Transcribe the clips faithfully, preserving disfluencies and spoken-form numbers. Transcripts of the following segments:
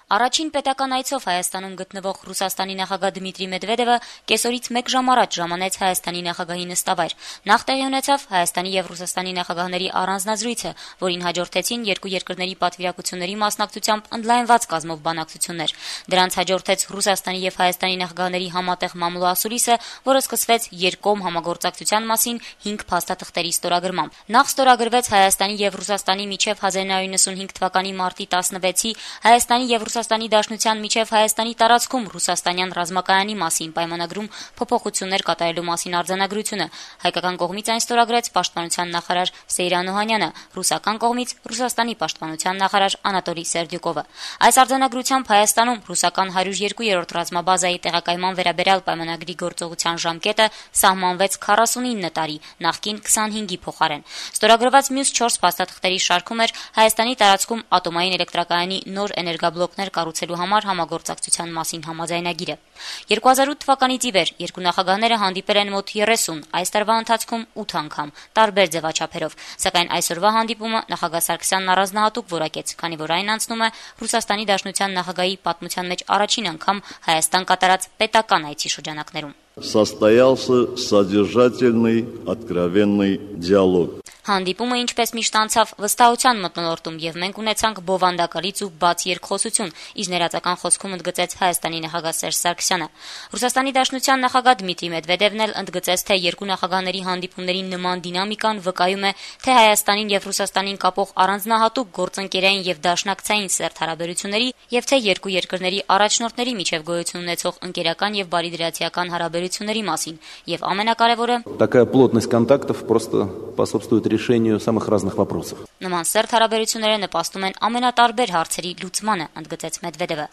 Առաջին պետական այցով Հայաստանում գտնվող Ռուսաստանի նախագահ Դմիտրի Մեդվեդևը կեսօրից մեկ ժամ առաջ ժամանեց Հայաստանի նախագահի նստավայր։ Նախ տեղի ունեցավ Հայաստանի եւ Ռուսաստանի նախագահների առանձնազրույցը, որին հաջորդեցին երկու երկրների պատվիրակությունների մասնակցությամբ ընդլայնված կազմով բանակցություններ։ Դրանց հաջորդեց Ռուսաստանի եւ Հայաստանի նախագահների համատեղ մամուլոասուլիսը, որը սկսվեց երկկողմ համագործակցության մասին հինգ փաստաթղթերի ստորագրմամբ։ Նախ ստորագրվեց Հայաստանի եւ Ռուսաստանի միջև հազար նույնսուն հինգ թվականի մարտի տասնվեցի Հայաստանի եւ Ռուսաստանի Դաշնության միջև Հայաստանի տարածքում ռուսաստանյան ռազմակայանի մասին պայմանագրում փոփոխություններ կատարելու մասին արձանագրությունը։ Հայկական կողմից այն ստորագրեց պաշտպանության նախարար Սեյրան Օհանյանը, ռուսական կողմից Ռուսաստանի պաշտպանության նախարար Անատոլի Սերդյուկովը։ Այս արձանագրությամբ Հայաստանում ռուսական հարյուր երկու-րդ ռազմաբազայի տեղակայման վերաբերյալ պայմանագրի գործողության ժամկետը սահմանվեց քառասունինը տարի, նախկին քսանհինգի փոխարեն։ Ստորագրված մյուս չորս փաստաթղթերի շարքում էր Հայաստանի տարածքում ատոմային էլեկտրակայանի նոր էներգաբլոկներ կառուցելու համար համագործակցության մասին համաձայնագիրը։ երկու հազար ութ թվականից ի վեր երկու նախագահները հանդիպել են մոտ երեսուն, այս տարվա ընթացքում ութ անգամ, տարբեր ձևաչափերով, սակայն այսօրվա հանդիպումը նախագահ Սարգսյանն առանձնահատուկ որակեց, քանի որ այն անցնում է Ռուսաստանի Դաշնության նախագահի պատմության մեջ առաջին անգամ Հայաստան կատարած պետական այցի շրջանակներում։ Состоялся содержательный, откровенный диалог. Հանդիպումը ինչպես միշտ անցավ վստահության մթնոլորտում եւ մենք ունեցանք բովանդակալից ու բաց երկխոսություն, իսկ ներածական խոսքում ընդգծեց Հայաստանի նախագահ Սերժ Սարգսյանը։ Ռուսաստանի Դաշնության նախագահ Դմիտրի Մեդվեդևն էլ ընդգծեց, թե երկու նախագահների հանդիպումների նման դինամիկան վկայում է, թե Հայաստանին եւ Ռուսաստանին կապող առանձնահատուկ գործընկերային եւ դաշնակցային սերտ հարաբերությունների եւ թե երկու երկրների առաջնորդների միջև գոյություն ունեցող ընկերական եւ բարիդրացիական հարաբերությունների մասին եւ ամենակարևորը такая плотность контактов просто способствует решению самых разных вопросов. Նման սերտ հարաբերությունները նպաստում են ամենատարբեր հարցերի լուծմանը, ընդգծեց Մեդվեդևը։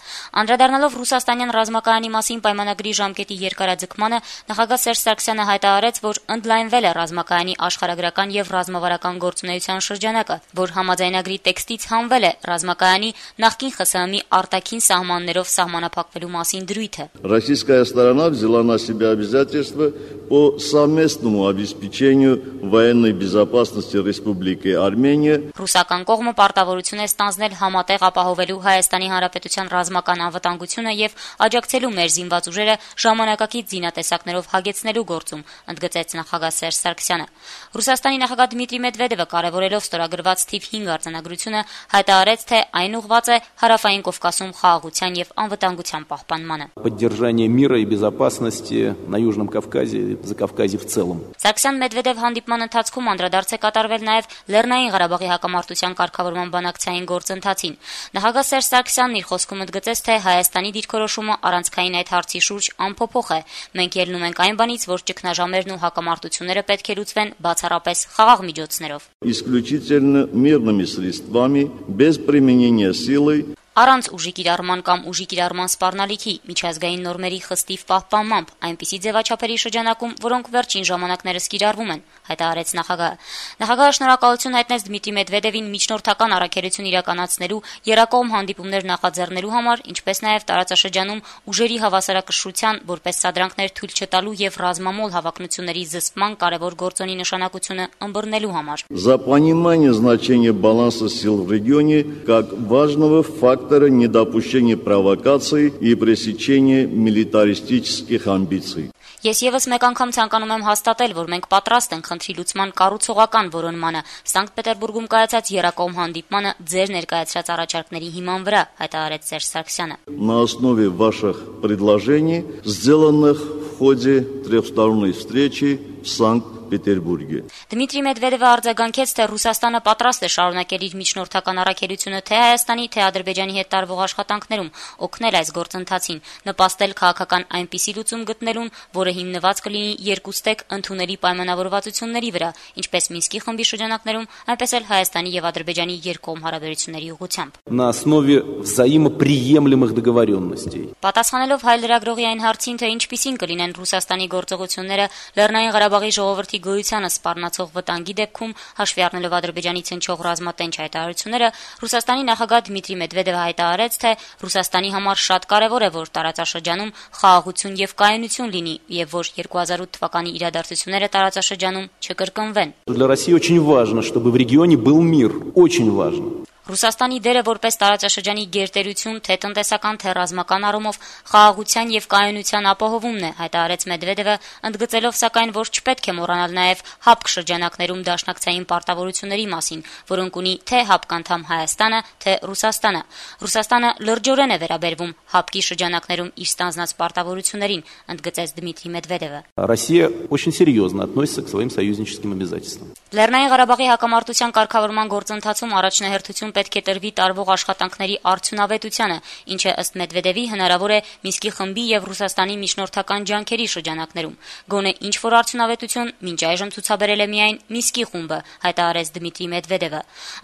Անդրադառնալով ռուսաստանյան ռազմակայանի մասին պայմանագրի ժամկետի երկարաձգմանը, նախագահ Սերժ Սարգսյանը հայտարարեց, որ ընդլայնվել է ռազմակայանի աշխարհագրական եւ ռազմավարական գործունեության շրջանակը, որ համաձայնագրի տեքստից հանվել է ռազմակայանի նախկին ԽՍՀՄ-ի արտաքին սահմաններով սահմանափակվելու մասին դրույթը։ Российская сторона взяла на себя обязательства по совместному обеспечению военной безопасности Республики Армения. Ռուսական կողմը պարտավորություն է ստանձնել համատեղ ապահովելու Հայաստանի Հանրապետության ռազմական անվտանգությունը եւ աջակցելու մեր զինված ուժերը ժամանակակից զինատեսակներով հագեցնելու գործում, ընդգծեց նախագահ Սերժ Սարգսյանը։ Ռուսաստանի նախագահ Դմիտրի Մեդվեդևը կարևորելով ստորագրված թիվ հինգ արձանագրությունը հայտարարեց, թե այն ուղղված է Հարավային Կովկասում խաղաղության եւ անվտանգության պահպանմանը։ Поддержание мира и безопасности на Южном Кавказе и Закавказье в целом. Սարգսյան-Մեդվեդև հանդիպման ընթացքում անդրադարձ է կատարվել նաև Լեռնային Ղարաբաղի հակամարտության կարգավորման բանակցային գործընթացին։ Նախագահ Սերժ Սարգսյանն իր խոսքում ընդգծեց, թե Հայաստանի դիրքորոշումը առանցքային այդ հարցի շուրջ անփոփոխ է։ Մենք ելնում ենք այն բանից, որ ճգնաժամերն ու հակամարտությունները պետք է լուծվեն բացառապես խաղաղ միջոցներով։ Исключительно мирными средствами, без применения силы. Առանց ուժի կիրառման կամ ուժի կիրառման սպառնալիքի միջազգային նորմերի խստիվ պահպանմամբ, այնպիսի ձևաչափերի շրջանակում, որոնք վերջին ժամանակներս կիրառվում են, հայտարարեց նախագահը։ Նախագահը շնորհակալություն հայտնեց Դմիտրի Մեդվեդևին միջնորդական առաքելություն իրականացնելու, երակողմ հանդիպումներ նախաձեռնելու համար, ինչպես նաև տարածաշրջանում ուժերի հավասարակշռության, որպես սադրանքներ թույլ չտալու եւ ռազմամոլ հավակնությունների զսպման կարևոր գործոնի նշանակությունը ըմբռնելու համար։ За понимание значения баланса сил в регионе как важного фактора недопущения провокаций и пресечения милитаристических амбиций. Ես եւս մեկ անգամ ցանկանում եմ հաստատել, որ մենք պատրաստ ենք խնդրի լուծման կառուցողական որոնմանը Սանկտ Պետերբուրգում կայացած երակողմ հանդիպմանը ձեր ներկայացրած առաջարկների հիման վրա, հայտարարեց Սերժ Սարգսյանը։ На основе ваших предложений, сделанных в ходе трехсторонней встречи в Санкт-Петербурге. Դմիտրի Մեդվեդևը արձագանքեց, թե Ռուսաստանը պատրաստ է շարունակել իր միջնորդական առաքելությունը թե Հայաստանի, թե Ադրբեջանի հետ տարվող աշխատանքներում, օգնել այս գործընթացին, նպաստել քաղաքական այնպիսի լուծում գտնելուն, որը հիմնված կլինի երկուստեք ընդունելի պայմանավորվածությունների վրա, ինչպես Մինսկի խմբի շրջանակներում, այնպես էլ Հայաստանի եւ Ադրբեջանի երկկողմ հարաբերությունների ուղղությամբ։ На основе взаимоприемлемых договоренностей. Պատասխանելով հայ լրագրողի այն հարցին, թե ինչպիսին կլինեն Ռուսաստանի գործողությունները Լեռնային Ղարաբաղի ժողովրդի գոյությանը սպառնացող վտանգի դեպքում, հաշվի առնելով Ադրբեջանից հնչող ռազմատենչ հայտարարությունները, Ռուսաստանի նախագահ Դմիտրի Մեդվեդևը հայտարարեց, թե Ռուսաստանի համար շատ կարևոր է, որ տարածաշրջանում խաղաղություն եւ կայունություն լինի եւ որ երկու հազար ութ թվականի իրադարձությունները տարածաշրջանում չկրկնվեն։ Для России очень важно, чтобы в регионе был мир, очень важно. Ռուսաստանի դերը որպես տարածաշրջանի գերտերություն թե տնտեսական, թե ռազմական առումով խաղաղության եւ կայունության ապահովումն է, հայտարարեց Մեդվեդևը, ընդգծելով սակայն, որ չպետք է մոռանալ նաեւ ՀԱՊԿ շրջանակներում դաշնակցային պարտավորությունների մասին, որոնք ունի թե ՀԱՊԿ անդամ Հայաստանը, թե Ռուսաստանը։ Ռուսաստանը լրջորեն է վերաբերվում ՀԱՊԿ-ի շրջանակներում իր ստանձնած պարտավորություններին, ընդգծեց Դմիտրի Մեդվեդևը։ Россия очень серьезно относится к своим союзническим обязательствам. Լեռնային Ղարաբաղի հակամարտության կարգավորման գործընթացում առաջնահերթություն պետք է տրվի տարվող աշխատանքների արդյունավետությանը, ինչը ըստ Մեդվեդևի հնարավոր է Մինսկի խմբի եւ Ռուսաստանի միջնորդական ջանքերի շրջանակներում։ Գոնե ինչ որ արդյունավետություն մինչ այժմ ցուցաբերել է միայն Մինսկի խումբը, հայտարարեց Դմիտրի Մեդվեդևը։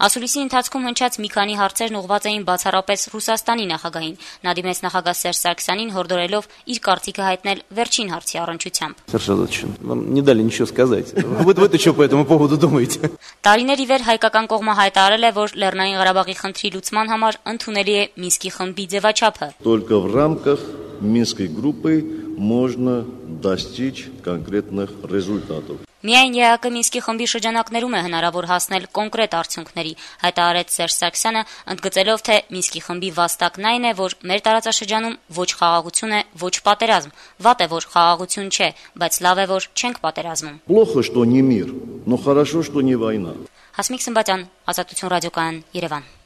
Ասուլիսի ընթացքում հնչած մի քանի հարցերն ուղղված էին бացառապես Ռուսաստանի նախագահին։ Նա դիմեց նախագահ Սերժ Սարգսյանին, հորդորելով իր կարծիքը հայտնել վերջին հարցի առնչությամբ։ Вам не дали ничего сказать. Вы вы что по этому поводу думаете? Տարիներ ի վեր հայկական կողմը հայտարարել է, որ Լեռնային Ղարաբաղի խնդրի լուծման համար ընդունելի է Մինսկի խմբի ձևաչափը։ Только в рамках Минской группы можно достичь конкретных результатов. Միայն ԵԱԿ Մինսկի խմբի շրջանակներում է հնարավոր հասնել կոնկրետ արդյունքների, հայտարարեց Սերժ Սարգսյանը, ընդգծելով, թե Մինսկի խմբի վաստակն այն է, որ մեր տարածաշրջանում ոչ խաղաղություն է, ոչ պատերազմ։ Վատ է, որ խաղաղություն չէ, բայց լավ է, որ չենք պատերազմում։ Плохо, что не мир, но хорошо, что не война. Հասմիկ Սմբատյան, Ազատություն ռադիոկայան, Երևան։